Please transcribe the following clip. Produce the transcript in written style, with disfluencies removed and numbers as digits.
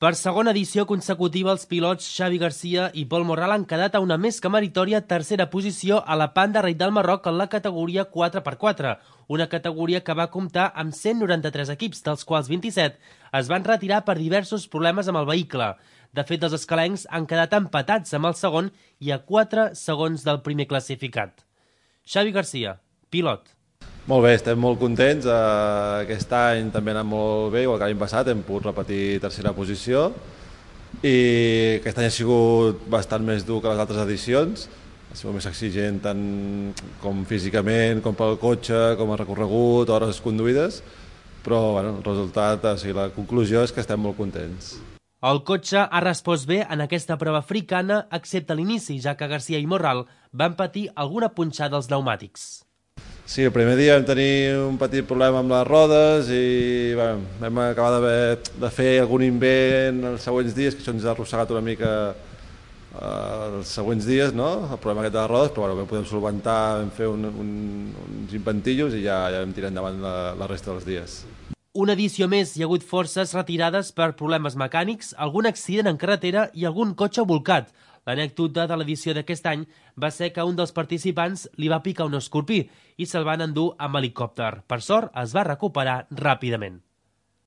Per segona edició consecutiva, els pilots Xavi Garcia i Pol Morral han quedat a una més que meritòria tercera posició a la Panda Ride del Marroc en la categoria 4x4, una categoria que va comptar amb 193 equips, dels quals 27 es van retirar per diversos problemes amb el vehicle. De fet, els escalencs han quedat empatats amb el segon i a 4 segons del primer classificat. Xavi Garcia, pilot. Molt bé, estem molt contents. Aquest any també ha anat molt bé, igual que l'any passat, hem pogut repetir tercera posició i aquest any ha sigut bastant més dur que les altres edicions, ha sigut més exigent tant com físicament, com pel cotxe, com a recorregut, hores conduïdes, però bueno, el resultat, la conclusió és que estem molt contents. El cotxe ha respost bé en aquesta prova africana, excepte a l'inici, ja que Garcia i Morral van patir alguna punxada als pneumàtics. Sí, el primer dia vam tenir un petit problema amb les rodes i vam acabar de fer algun invent els següents dies, que això ens ha arrossegat una mica els següents dies, no? El problema aquest de les rodes, però vam poder solventar, vam fer uns inventillos i ja vam tirar endavant la resta dels dies. Una edició més, hi ha hagut forces retirades per problemes mecànics, algun accident en carretera i algun cotxe volcat. L'anècdota de l'edició d'aquest any va ser que un dels participants li va picar un escorpí i se'l van endur amb helicòpter. Per sort, es va recuperar ràpidament.